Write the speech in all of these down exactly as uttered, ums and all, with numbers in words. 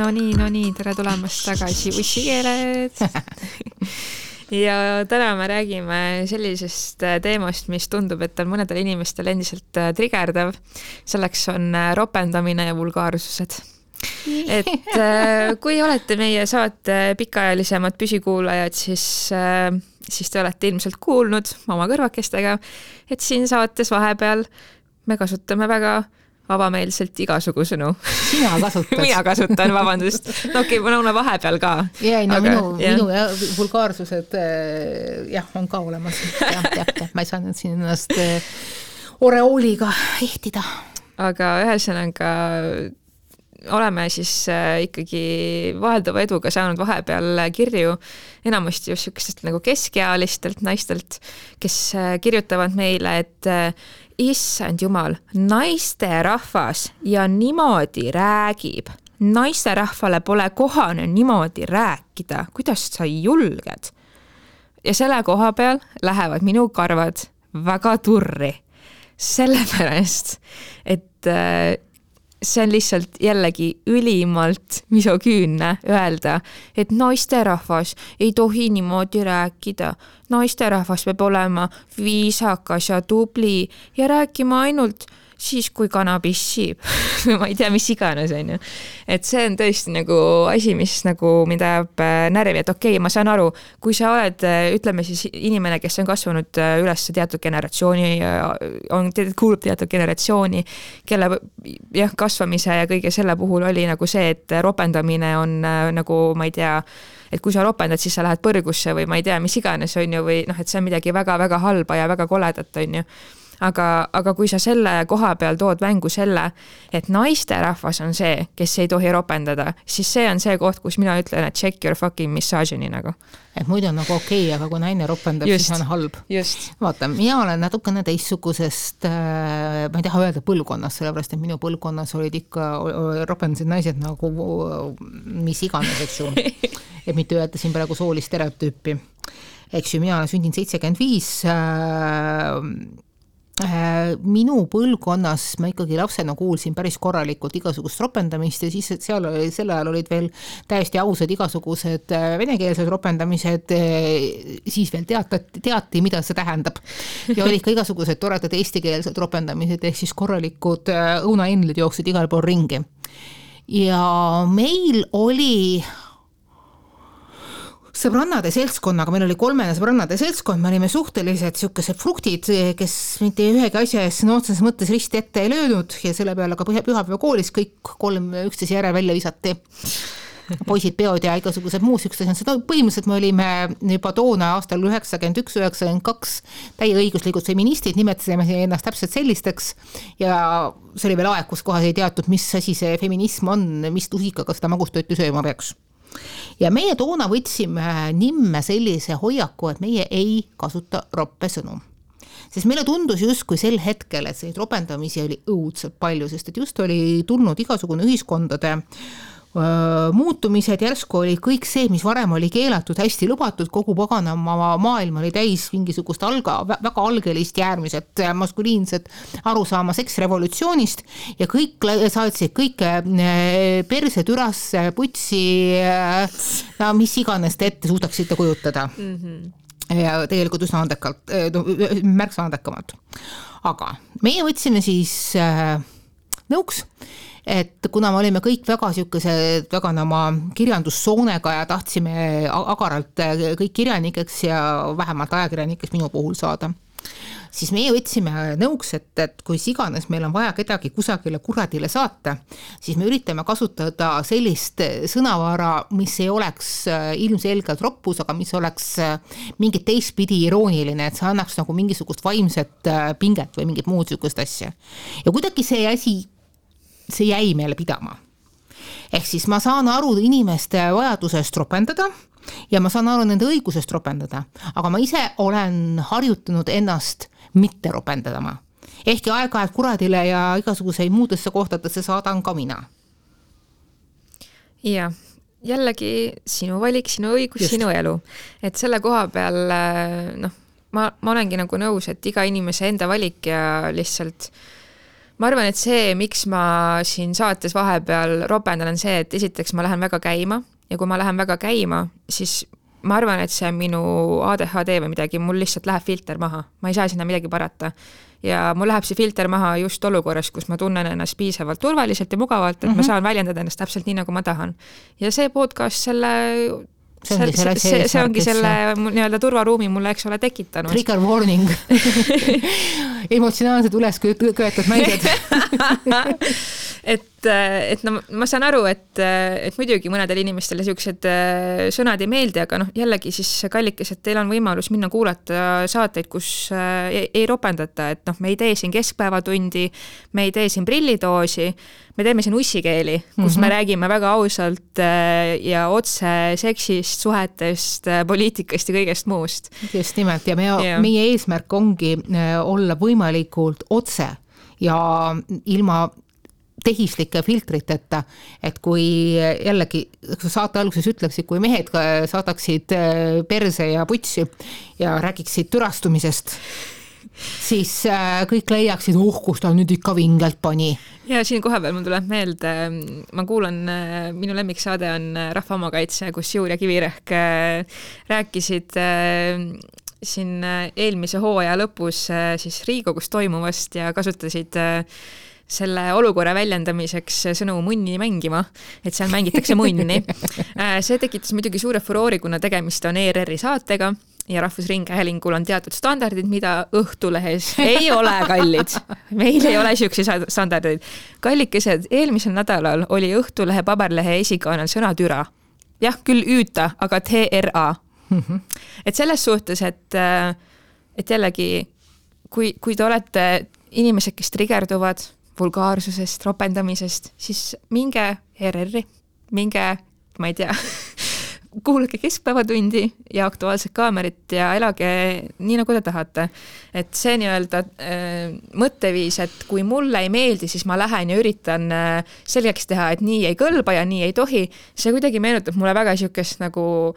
no nii, no nii, tere tulemast tagasi Ussikeeled. Ja täna me räägime sellisest teemast, mis tundub, et on mõnedel inimestel endiselt trigerdav. Selleks on ropendamine ja vulgaarsused. Et kui olete meie saate pikaajalisemad püsikuulajad, siis, siis te olete ilmselt kuulnud oma kõrvakestega, et siin saates vahepeal me kasutame väga avameelselt igasugusõnu. Sina kasutad. Mina kasutan, vabandust. No okei, okay, no vahepeal ka. Ja, no aga, minu, ja. minu ja vulgaarsused jah, on ka olemas. Ja, ja, ja. Ma ei saanud siin ennast oreooliga ehtida. Aga ühesõnaga oleme siis ikkagi vahelduva eduga saanud vahepeal kirju enamasti just sükestest nagu keskealistelt naistelt, kes kirjutavad meile, et issand jumal, naiste rahvas ja niimoodi räägib. Naiste rahvale pole kohane niimoodi rääkida. Kuidas sa julged? Ja selle koha peal lähevad minu karvad väga turri. Sellepärast, et see on lihtsalt jällegi ülimalt misoküünne öelda, et naisterahvas ei tohi niimoodi rääkida. Naisterahvas peab olema viisakas ja tubli ja rääkima ainult siis, kui kana pissib. Ma ei tea, mis iganes on ju. Et see on tõesti nagu asi, mis nagu mind ajab närvi, et okei, okay, ma saan aru, kui sa oled, ütleme siis inimene, kes on kasvanud üles teatud generatsiooni, on kuulub teatud generatsiooni, kelle jah, kasvamise ja kõige selle puhul oli nagu see, et ropendamine on nagu, ma ei tea, et kui sa ropendad, siis sa lähed põrgusse või ma ei tea, mis iganes on ju, või noh, et see on midagi väga-väga halba ja väga koledat on ju. Aga, aga kui sa selle koha peal tood mängu selle, et naiste rahvas on see, kes ei tohi ropendada, siis see on see koht, kus mina ütlen, et check your fucking misogyny nagu. Et muidu on nagu okei, okay, aga kui naine ropendab, just, siis on halb. Just. Vaata, mina olen natukene teistsugusest, ma ei taha öelda põlvkonnas, sellepärast, et minu põlvkonnas olid ikka ropendasid naised nagu mis iganes, eks ju. Et mitte öelda siin praegu soolist stereotüüpi. Eks ju, mina olen sündinud seitsekümmend viis minu põlvkonnas ma ikkagi lapsena kuulsin päris korralikult igasugust ropendamist ja siis seal oli, sel ajal olid veel täiesti ausad igasugused venekeelsed ropendamised, siis veel teatati, teati, mida see tähendab. Ja olid ka igasugused toredad eestikeelsed ropendamised, ehk siis korralikud õunaennlid jooksid igal pool ringi. Ja meil oli sõbrannade seltskonnaga, meil oli kolmene sõbrannade seltskond, me olime suhteliselt siukesed fruktid, kes mitte ühegi asja ees no, otses mõttes risti ette ei löönud ja selle peale ka pühapäeva koolis kõik kolm üksteise järel välja visati. Poisid peod ja igasugused muus üksteise. Seda põhimõtteliselt me olime juba toona aastal üheksakümmend üks üheksakümmend kaks täie õiguslikud feministid, nimetasime ennast täpselt sellisteks ja see oli veel aeg, kus kohas ei teatud, mis asi see feminism on, mis tusikaga seda magustööti sööma peaks. Ja meie toona võtsime nimme sellise hoiaku, et meie ei kasuta roppe sõnu. Sest meile tundus just kui sel hetkel, et see ropendamisi oli õudselt palju, sest et just oli tulnud igasugune ühiskondade muutumised, järsku oli kõik see, mis varem oli keelatud, hästi lubatud, kogu paganama maailm oli täis mingisugust alga, väga algelist järgmiselt maskuliinset arusaama seksrevolutsioonist ja kõik saatsid kõike perse, türasse, putsi, no, mis iganes te ette suudaksite kujutada. Mm-hmm. Ja tegelikult üsna andekalt, no, märksa andekamalt. Aga meie võtsime siis nõuks, et kuna me olime kõik väga siukesed väga nama kirjandussoonega ja tahtsime agaralt kõik kirjanikeks ja vähemalt ajakirjanikeks minu puhul saada, siis meie võtsime nõuks, et, et kui iganes meil on vaja kedagi kusagile kuradile saata, siis me üritame kasutada sellist sõnavara, mis ei oleks ilmselgelt roppus, aga mis oleks mingit teistpidi irooniline, et see annaks nagu mingisugust vaimset pinget või mingit muud sükust asja. Ja kuidagi see asi see jäi meile pidama. Ehk siis ma saan aru inimeste vajadusest ropendada ja ma saan aru nende õigusest ropendada, aga ma ise olen harjutanud ennast mitte ropendadama. Ehkki aeg-ajalt kuradile ja igasuguseid muudesse kohtadesse saadan ka mina. Ja, jällegi sinu valik, sinu õigus, Just. Sinu elu. Et selle koha peal, noh, ma, ma olengi nagu nõus, et iga inimese enda valik ja lihtsalt ma arvan, et see, miks ma siin saates vahepeal ropendan, on see, et esiteks ma lähen väga käima ja kui ma lähen väga käima, siis ma arvan, et see on minu A D H D või midagi, mul lihtsalt läheb filter maha, ma ei saa sinna midagi parata. Ja mul läheb see filter maha just olukorras, kus ma tunnen ennast piisavalt turvaliselt ja mugavalt, et mm -hmm. ma saan väljendada ennast täpselt nii, nagu ma tahan. Ja see podcast selle see ongi, see, see, see ongi selle nii-öelda turvaruumi mulle, eks ole, tekitanud. Trigger warning. Emotsionaalsed üles köetud naised. et, et no, ma saan aru, et, et muidugi mõnedel inimestele siuksed sõnad ei meeldi, aga noh, jällegi siis kallikes, et teil on võimalus minna kuulata saateid, kus ei, ei ropendata, et noh, me ei tee siin keskpäevatundi, me ei tee siin prillidoosi, me teeme siin ussikeeli, kus mm -hmm. me räägime väga ausalt ja otse seksist, suhetest, poliitikast ja kõigest muust. Just nimelt ja me, ja. meie eesmärk ongi olla võimalikult otse ja ilma tehislike filtriteta, et kui jällegi saate alguses ütleksid, kui mehed saadaksid perse ja putsi ja räägiksid türastumisest, siis kõik leiaksid, oh, kus ta nüüd ikka vingelt pani. Ja siin koha peal mul tuleb meelde, ma kuulan, minu lemmiksaade on Rahva omakaitse, kus Juur ja Kivirehk rääkisid siin eelmise hooaja lõpus siis Riigikogus toimuvast ja kasutasid selle olukorra väljendamiseks sõnu munni mängima, et seal mängitakse munni. See tekitas muidugi suure furoori, kuna tegemist on E R R-i saatega ja Rahvusringhäälingul on teatud standardid, mida Õhtulehes ei ole kallid. Meil ei ole siuksi standardid. Kallikesed, eelmisel nädalal oli Õhtulehe paberlehe esikaanel sõna türa. Jah, küll üüta, aga T R A. Mm-hmm. Et selles suhtes, et, et jällegi, kui, kui te olete inimesed, kes trigerduvad vulgaarsusest, ropendamisest, siis minge E R R-i, minge, ma ei tea, kuulge keskpäevatundi ja Aktuaalset kaamerit ja elage nii, nagu te tahate. Et see nii-öelda äh, mõtteviis, et kui mulle ei meeldi, siis ma lähen ja üritan äh, selgeks teha, et nii ei kõlba ja nii ei tohi. See kuidagi meenutab mulle väga siukest nagu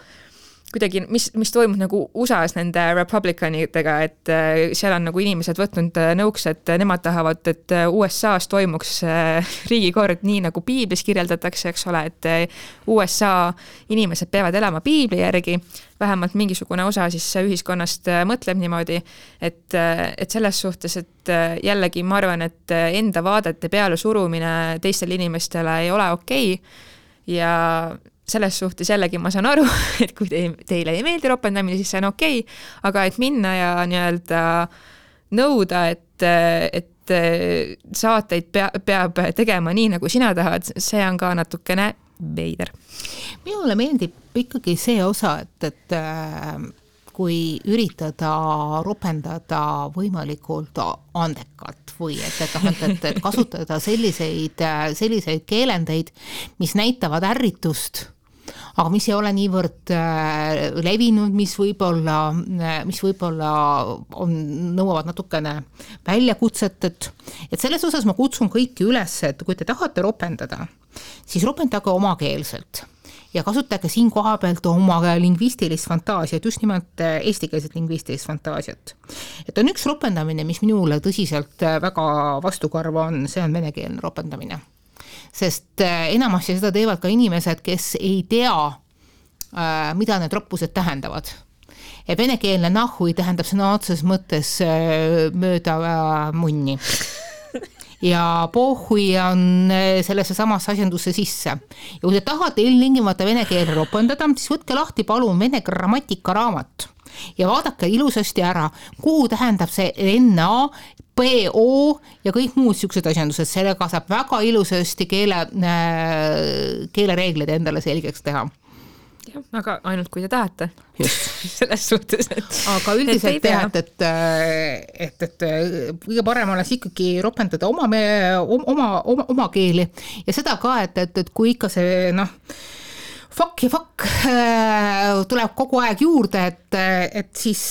kuidagi, mis, mis toimub nagu U S A-s nende republicanidega, et äh, seal on nagu inimesed võtnud nõuks, et nemad tahavad, et U S A-s toimuks äh, riigikord nii, nagu piiblis kirjeldatakse, eks ole, et äh, U S A inimesed peavad elama piibli järgi, vähemalt mingisugune osa siis ühiskonnast äh, mõtleb niimoodi, et, äh, et selles suhtes, et äh, jällegi ma arvan, et enda vaadete peale surumine teistele inimestele ei ole okei okay. Ja selles suhtes jällegi ma saan aru, et kui te, teile ei meeldi ropendamine, siis see on okei, okay, aga et minna ja nii-öelda nõuda, et, et saateid pea, peab tegema nii, nagu sina tahad, see on ka natukene veider. Minule meeldib ikkagi see osa, et, et kui üritada ropendada võimalikult andekalt või et, et, et, et kasutada selliseid, selliseid keelendeid, mis näitavad ärritust, aga mis ei ole niivõrd levinud, mis võib-olla, mis võib-olla on, nõuavad natukene väljakutset, et, et selles osas ma kutsun kõiki üles, et kui te tahate ropendada, siis ropendage omakeelselt ja kasutage siin koha pealt oma lingvistilist fantaasiat, just nimelt eestikeelset lingvistilist fantaasiat. Et on üks ropendamine, mis minule tõsiselt väga vastukarva on, see on venekeelne ropendamine. Sest enamasti seda teevad ka inimesed, kes ei tea, mida need roppused tähendavad. Ja venekeelne nahui tähendab sõna otses mõttes mööda munni. Ja pohhui on sellesse samasse asjandusse sisse. Ja kui te tahate ilmtingimata vene keele ropendada, siis võtke lahti palun vene grammatika raamat ja vaadake ilusasti ära, kuhu tähendab see N A, P O ja kõik muud siuksed asjandused. Sellega saab väga ilusasti keele, keelereeglid endale selgeks teha. Ja, aga ainult kui te tahate. Just. Selles suhtes, et... Aga üldiselt teha, et, et, et, et kõige parem oleks ikkagi ropendada oma, oma, oma, oma keeli ja seda ka, et, et, et kui ikka see, noh, fuck ja fuck tuleb kogu aeg juurde, et, et siis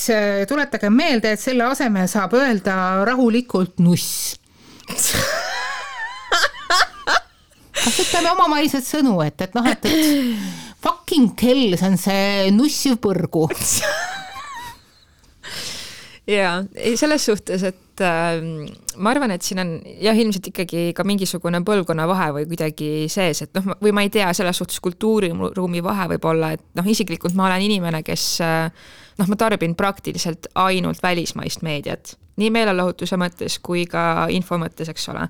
tuletage meelde, et selle aseme saab öelda rahulikult nuss. Kasutame omamaised sõnu, et, et noh, et, et fucking hell, see on see nussiv põrgu. jaa, selles suhtes, et äh, ma arvan, et siin on jah, ilmselt ikkagi ka mingisugune põlvkonna vahe või kuidagi sees, et noh, või ma ei tea, selles suhtes kultuuriruumi vahe võib olla, et noh, isiklikult ma olen inimene, kes äh, noh, ma tarbin praktiliselt ainult välismaist meediat, nii meelelahutuse mõttes kui ka info mõttes, eks ole.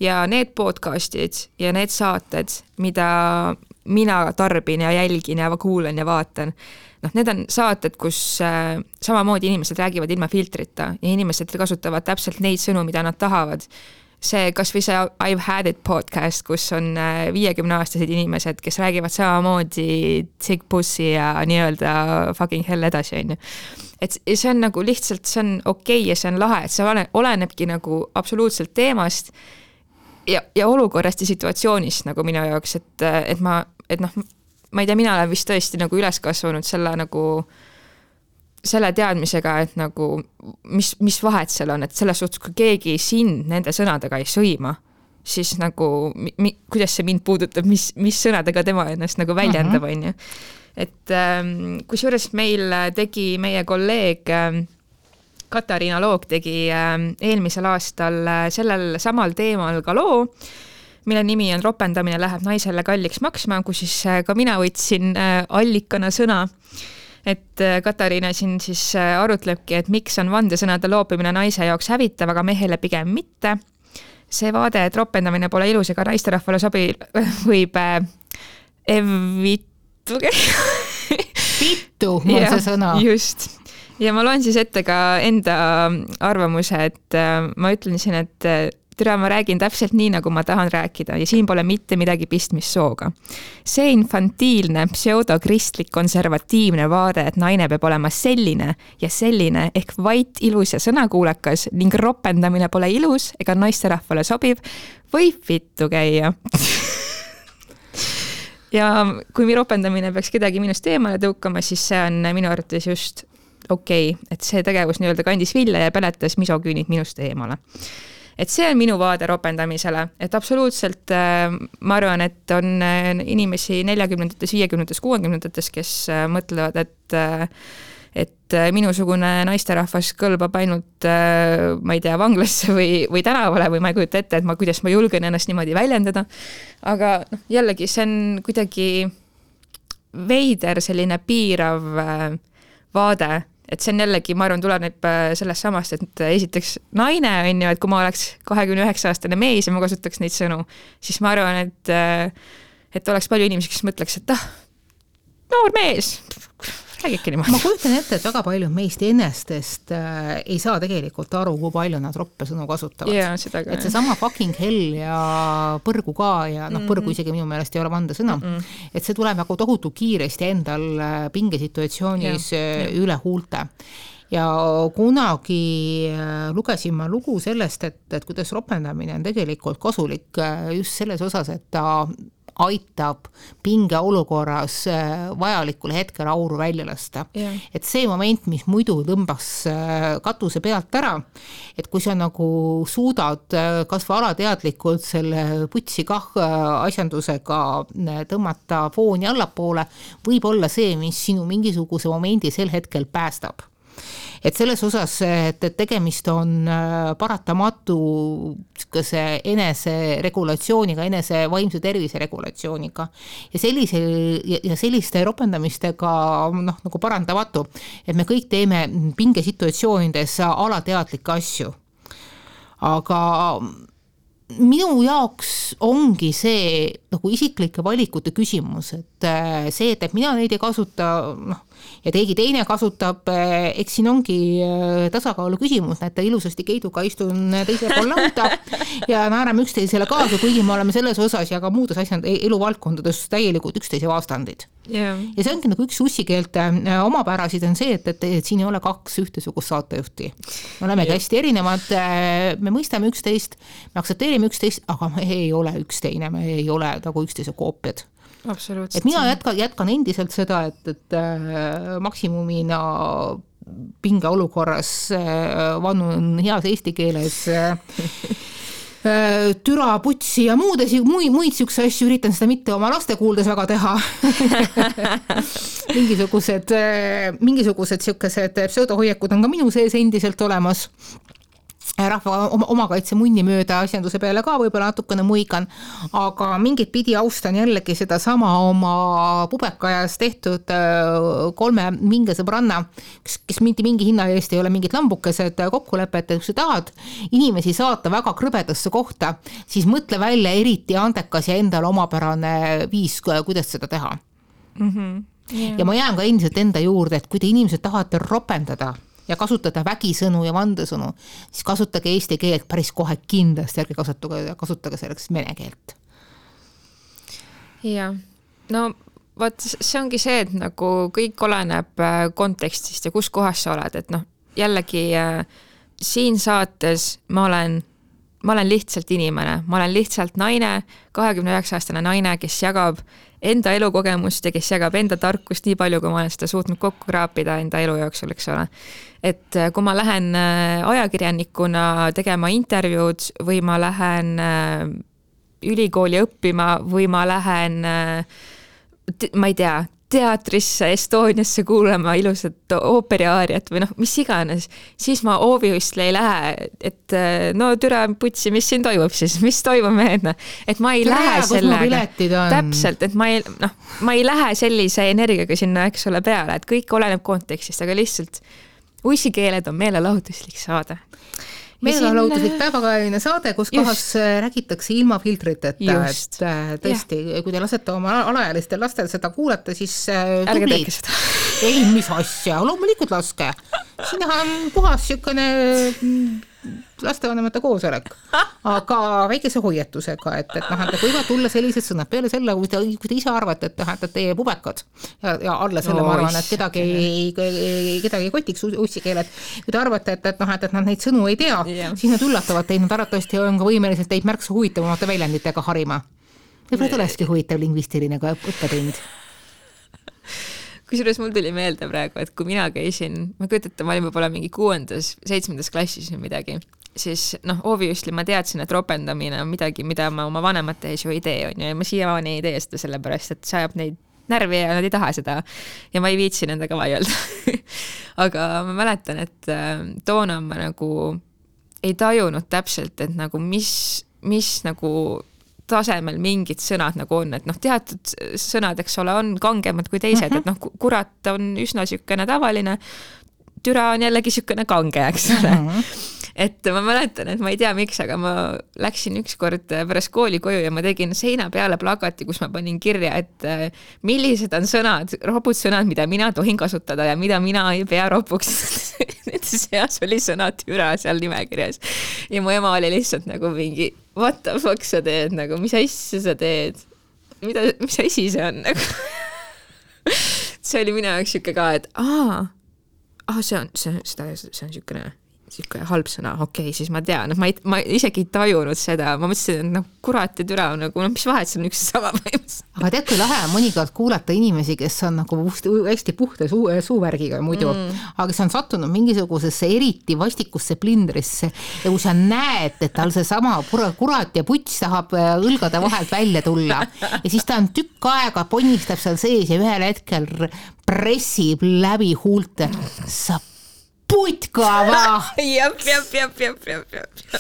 Ja need podcastid ja need saated, mida mina tarbin ja jälgin ja kuulen ja vaatan, noh, need on saated, kus äh, samamoodi inimesed räägivad ilma filtrita ja inimesed kasutavad täpselt neid sõnu, mida nad tahavad. See, kas või see I've Had It podcast, kus on viiekümne aastased inimesed, kes räägivad samamoodi Tig Pussy ja nii-öelda fucking hell edasi, on ju. Et see on nagu lihtsalt, see on okei okay ja see on lahe, et see olenebki nagu absoluutselt teemast ja, ja olukorrast ja situatsioonist nagu minu jaoks, et, et ma, et noh, ma ei tea, mina olen vist tõesti nagu üles kasvanud selle nagu selle teadmisega, et nagu mis, mis vahet seal on, et selles suhtes, kui keegi sind nende sõnadega ei sõima, siis nagu mi, kuidas see mind puudutab, mis, mis sõnadega tema ennast nagu väljendab, on ju. Et ähm, kusjuures meil tegi meie kolleeg ähm, Katariina Loog tegi ähm, eelmisel aastal äh, sellel samal teemal ka loo, mille nimi on Ropendamine läheb naisele kalliks maksma, kus siis äh, ka mina võtsin äh, allikana sõna, et äh, Katariina siin siis äh, arutlebki, et miks on vandesõnade loopimine naise jaoks hävitav, aga mehele pigem mitte. See vaade, et ropendamine pole ilus ega naisterahvale sobi, võib äh, evittu Vittu on ja, see sõna. Just. Ja ma loen siis ette ka enda arvamuse, et äh, ma ütlen siin, et äh, türa ma räägin täpselt nii, nagu ma tahan rääkida ja siin pole mitte midagi pistmist sooga. See infantiilne, pseudokristlik, konservatiivne vaade, et naine peab olema selline ja selline ehk vait, ilus ja sõnakuulekas ning ropendamine pole ilus ega naisterahvale sobib, võib vittu käia. Ja kui mi ropendamine peaks kedagi minust eemale tõukama, siis see on minu arvates just okei, okay, et see tegevus nii-öelda kandis vilja ja peletas misoküünid minust eemale. Et see on minu vaade ropendamisele, et absoluutselt ma arvan, et on inimesi neljakümnendates, viiekümnendates, kuuekümnendates, kes mõtlevad, et, et minusugune naisterahvas kõlbab ainult, ma ei tea, vanglasse või, või tänavale või ma ei kujuta ette, et ma, kuidas ma julgen ennast niimoodi väljendada. Aga noh, jällegi see on kuidagi veider selline piirav vaade, et see on jällegi, ma arvan, tuleneb sellest samast, et esiteks naine on ju, et kui ma oleks kahekümne üheksa aastane mees ja ma kasutaks neid sõnu, siis ma arvan, et, et oleks palju inimesi, kes mõtleks, et ah, noor mees, räägibki niimoodi. Ma kujutan ette, et väga palju meist ennestest äh, ei saa tegelikult aru, kui palju nad roppe sõnu kasutavad. Yeah, seda ka, et see sama fucking hell ja põrgu ka ja noh, põrgu isegi minu meelest ei ole vandesõna, mm-mm. et see tuleb nagu tohutu kiiresti endal pingesituatsioonis yeah, yeah. üle huulte. Ja kunagi lugesin ma lugu sellest, et, et kuidas ropendamine on tegelikult kasulik just selles osas, et ta aitab pinge olukorras vajalikul hetkel auru välja lasta. Yeah. Et see moment, mis muidu tõmbas katuse pealt ära, et kui sa nagu suudad kas või alateadlikult selle putsi kah asjandusega tõmmata fooni allapoole, võib olla see, mis sinu mingisuguse momendi sel hetkel päästab. Et selles osas, et tegemist on paratamatu enese regulatsiooniga, enese vaimse tervise regulatsiooniga ja, sellise, ja selliste ropendamistega noh, nagu parandamatu, et me kõik teeme pingesituatsioonides alateadlikke asju. Aga minu jaoks ongi see nagu isiklike valikute küsimus, et see, et mina neid ei kasuta, noh, ja teigi teine kasutab, eks siin ongi tasakaalu küsimus, et ilusasti Keiduga istun teise pool lauda ja naerame üksteisele kaasa, kuigi me oleme selles osas ja ka muudes asjad eluvaldkondades täielikult üksteise vastandid. Yeah. Ja see ongi nagu üks ussikeelte omapärasid on see, et, et, et siin ei ole kaks ühtesugust saatejuhti. Me olemegi yeah. hästi erinevad, me mõistame üksteist, me aktsepteerime üksteist, aga me ei ole üksteine, me ei ole nagu üksteise koopiad. Et mina jätkan, jätkan endiselt seda, et, et äh, maksimumina pinge olukorras äh, vannun heas eesti keeles äh, türa, putsi ja muudes, muid, muid siukse asju, üritan seda mitte oma laste kuuldes väga teha. mingisugused, mingisugused siukesed pseudohoiakud on ka minu sees endiselt olemas. Rahva oma, omakaitse munni mööda asjanduse peale ka võib-olla natukene muigan, aga mingit pidi austan jällegi seda sama oma pubekajas tehtud kolme minge sõbranna, kes, kes mingi, mingi hinna eest ei ole mingid lambukesed kokkulepet, et kui sa tahad inimesi saata väga krõbedasse kohta, siis mõtle välja eriti andekas ja endale omapärane viis, kuidas seda teha. Mm-hmm. Yeah. Ja ma jään ka endiselt enda juurde, et kui te inimesed tahate ropendada ja kasutada vägisõnu ja vandesõnu, siis kasutage eesti keelt päris kohe kindlasti, ärge kasutage, kasutage selleks vene keelt. Ja, no vaat see ongi see, et nagu kõik oleneb kontekstist ja kus kohas sa oled, et noh, jällegi siin saates ma olen, ma olen lihtsalt inimene, ma olen lihtsalt naine, kahekümne üheksa aastane naine, kes jagab enda elukogemust ja kes jagab enda tarkust nii palju, kui ma olen seda suutnud kokku kraapida enda elu jooksul, eks ole. Et kui ma lähen ajakirjanikuna tegema intervjuud või ma lähen ülikooli õppima või ma lähen, ma ei tea, teatrisse, Estoniasse kuulama ilusat ooperiaariat või noh, mis iganes, siis ma obviously ei lähe, et no türa putsi, mis siin toimub siis, mis toimub meedna, et ma ei Tere, lähe sellega, täpselt, et ma ei, noh, ma ei lähe sellise energiaga sinna, eks ole, peale, et kõik oleneb kontekstist, aga lihtsalt uissikeeled on meelelahutuslik saade. Meelelahutuslik päevakajaline saade, kus just. Kohas räägitakse ilma filtriteta, et tõesti, ja. Kui te lasete oma alaealistel lastel seda kuulata, siis ärge tehke seda. Ei, mis asja, loomulikult laske. Siin on puhas sükene lastevanemate koosolek, aga väikese hoiatusega, et, et, noh, et võivad tulla sellised sõnad peale selle, kui te, kui te ise arvate, et, et teie pubekad ja, ja alla selle no, ma arvan, et kedagi ei, kedagi ei kotiks ussikeeled, kui te arvate, et, et, noh, et, et nad neid sõnu ei tea, yeah. Siis nad üllatavad teid, nad arvatavasti on ka võimeliselt teid märksa huvitavamate väljenditega harima. Võib-olla tulekski huvitav lingvistiline õppetund. Kusjuures mul tuli meelde praegu, et kui mina käisin, ma kujutan, ma olin võib-olla mingi kuuendas, seitsmendas klassis või midagi, siis noh, obviously ma teadsin, et ropendamine on midagi, mida ma oma vanemate ees ju ei tee, on ju, ja ma siiamaani ei tee seda sellepärast, et see ajab neid närvi ja nad ei taha seda ja ma ei viitsi nendega vaielda. Aga ma mäletan, et toona ma nagu ei tajunud täpselt, et nagu mis, mis nagu tasemel mingid sõnad nagu on, et noh, teatud sõnad, eks ole, on kangemad kui teised, uh-huh. Et noh, kurat on üsna sükene tavaline, türa on jällegi sükene kange, eks ole. Uh-huh. Et ma mäletan, et ma ei tea miks, aga ma läksin ükskord pärast kooli koju ja ma tegin seina peale plakati, kus ma panin kirja, et millised on sõnad, ropud sõnad, mida mina tohin kasutada ja mida mina ei pea ropuks. Nende seas oli sõna türa seal nimekirjas. Ja mu ema oli lihtsalt nagu mingi, what the fuck sa teed, nagu, mis asja sa teed? Mida, mis asi see on? Nagu? See oli minu jaoks siuke ka, et aa, aa see on, see, seda, see on siukene siuke halb sõna, okei, okay, siis ma tean, et ma, ei, ma isegi ei tajunud seda, ma mõtlesin, et noh, kurat ja türa, nagu, no mis vahet, see on üks sama võimas. Aga tead, kui lahe on mõnikord kuulata inimesi, kes on nagu hästi puhta suu, suuvärgiga muidu, mm. Aga kes on sattunud mingisugusesse eriti vastikusse plindrisse ja kui sa näed, et tal see sama kurat ja puts tahab õlgade vahelt välja tulla ja siis ta on tükk aega ponnistab seal sees ja ühel hetkel pressib läbi huulte, sa putka vah! Jep, jep, jep, jep, jep, jep.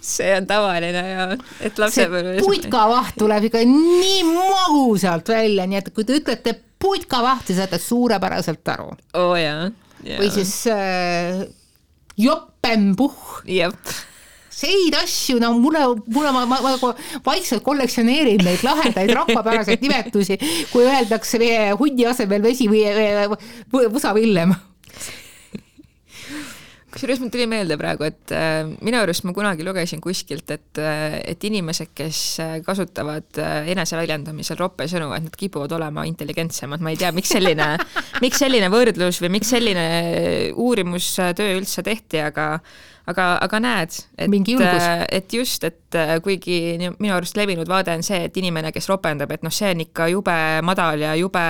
See on tavaline ja et lapse see putka vaht tuleb ikka nii magusalt välja, nii et kui te ütlete putka vaht, siis saate suurepäraselt aru. Oo jaa. Ja. Või siis äh, joppenpuh. Jep. Seid asju, no mulle, mulle ma, ma, ma vaikselt kollektsioneerin neid lahendaid rahvapäraseid nimetusi, kui öeldakse hundi asemel vesi või võsavillem. Kusjuures mul tuli meelde praegu, et äh, minu arust ma kunagi lugesin kuskilt, et, äh, et inimesed, kes kasutavad äh, eneseväljendamisel roppe sõnu, et nad kipuvad olema intelligentsemad. Ma ei tea, miks selline, miks selline võrdlus või miks selline uurimustöö üldse tehti, aga, aga, aga näed, et, et just, et kuigi minu arust levinud vaade on see, et inimene, kes ropendab, et noh, see on ikka jube madal ja jube